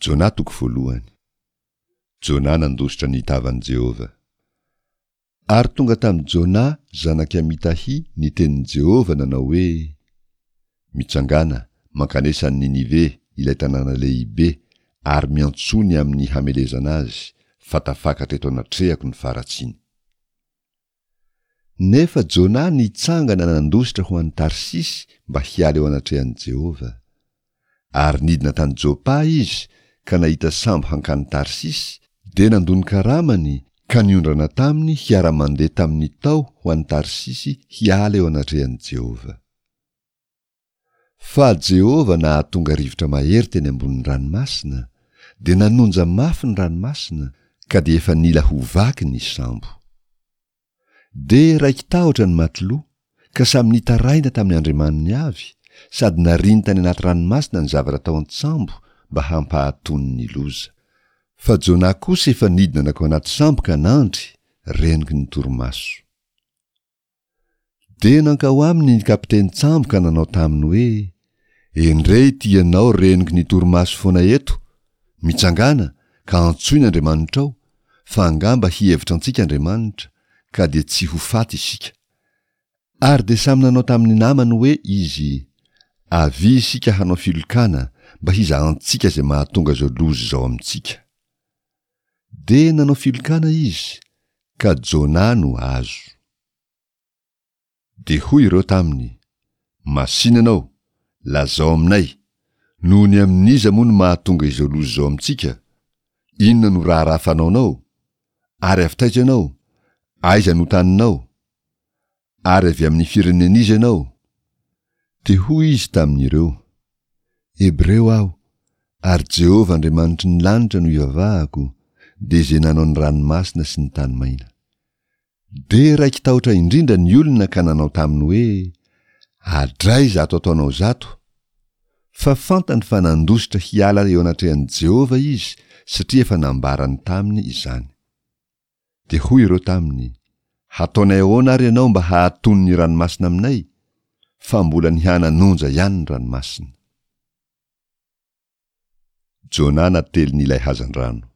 Jona toko voalohany. Jona nandositra ny tavan'i Jehovah. Ary tonga tamin'i Jona zanak'i Amitahy ny tenin'i Jehovah nanao hoe, Mitsangàna, mankanesa any Ninive, ilay tanàna lehibe, ary miantsoa ny amin'ny hamelezana azy, fa tafakatra eto anatrehako ny faharatsiany. Nefa Jona nitsangana nandositra ho any Tarsisy mba hiala eo anatrehan'i Jehovah. Ary nidina tany Jopa izy ka nahita sambo hankany Tarsisy, dia nandoa ny karamany ka niondrana taminy hiara-mandeha tamin'ny tao ho any Tarsisy hiala eo anatrehan'i Jehovah. Fa Jehovah nahatonga rivotra mahery teny ambonin'ny ranomasina, dia nanonja mafy ny ranomasina, ka dia efa nila ho vaky ny sambo. Dia raiki-tahotra ny matiloa, ka samy nitaraina tamin'ny andriamaniny avy, sady nariany tany anaty ranomasina ny zavatra tao an-tsambo mba hampahatony ny loza. Fa Jonah kosa efa nidina nankao anaty sambo ka nandry, renoky ny torimaso. Dia nankao aminy ny kapitenin-tsambo ka nanao taminy hoe, Endrey ity ianao renoky ny torimaso foana eto, mitsangàna ka antsoy ny Andriamanitrao, fa angamba hihevitra antsika Andriamanitra, ka dia tsy ho faty isika. Ary dia samy nanao tamin'ny namany hoe izy, Avia isika hanao filokana mba hizahantsika izay mahatonga izao loza izao amintsika. Dia nanao filokana izy, ka Jona no azo. Dia hoy ireo taminy, Masìna ianao, lazao aminay, noho ny amin'iza moa no mahatonga izao loza izao amintsika? Inona no raharaha fanaonao? Ary avy taiza ianao? Aiza no taninao? Ary avy amin'ny firenen'iza ianao? Dia hoy izy tamin'ireo, Hebreo aho, ary Jehovah Andriamanitry ny lanitra no ivavahako, dia izay nanao ny ranomasina sy ny tany maina. Dia raiki-tahotra indrindra ny olona ka nanao taminy hoe, Adray izato ataonao izato! Fa fantany fa nandositra hiala eo anatrehan'i Jehovah izy, satria efa nambarany taminy izany. Dia hoy ireo taminy, Hataonay ahoana ary ianao mba hahatony ny ranomasina aminay? Fa mbola nihananonja ihany ny ranomasina. Jona natelin'ilay hazandrano.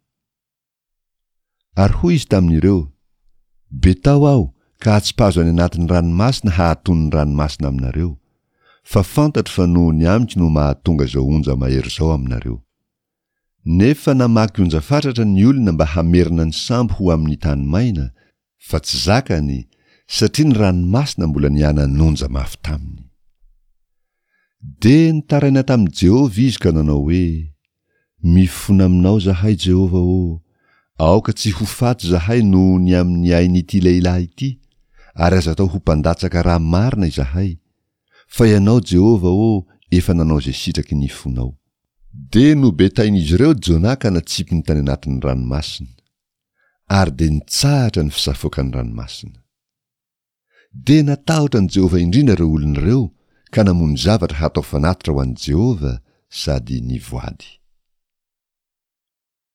Ary hoy izy tamin'ireo, Betao aho ka atsipazo any anatin'ny ranomasina hahatony ny ranomasina aminareo, fa fantatro fa noho ny amiko no mahatonga izao onja mahery izao aminareo. Nefa namaky onja fatratra ny olona mba hamerina ny sambo ho amin'ny tany maina, fa tsy zakany, satria ny ranomasina mbola nihananonja mafy taminy. Dia nitaraina tamin'i Jehovah izy ka nanao hoe, Mifona aminao izahay, Jehovah ô! Aoka tsy ho faty izahay noho ny amin'ny ain'ity lehilahy ity, ary aza atao ho mpandatsaka ra marina izahay, fa ianao, Jehovah ô, efa nanao izay sitraky ny fonao. Dia nobetain'izy ireo Jonah ka natsipiny tany anatin'ny ranomasina. Ary dia nitsahatra ny fisafoakan'ny ranomasina. Dia natahotra an'i Jehovah indrindra ireo olona ireo ka namono zavatra hatao fanatitra ho an'i Jehovah sady nivoady.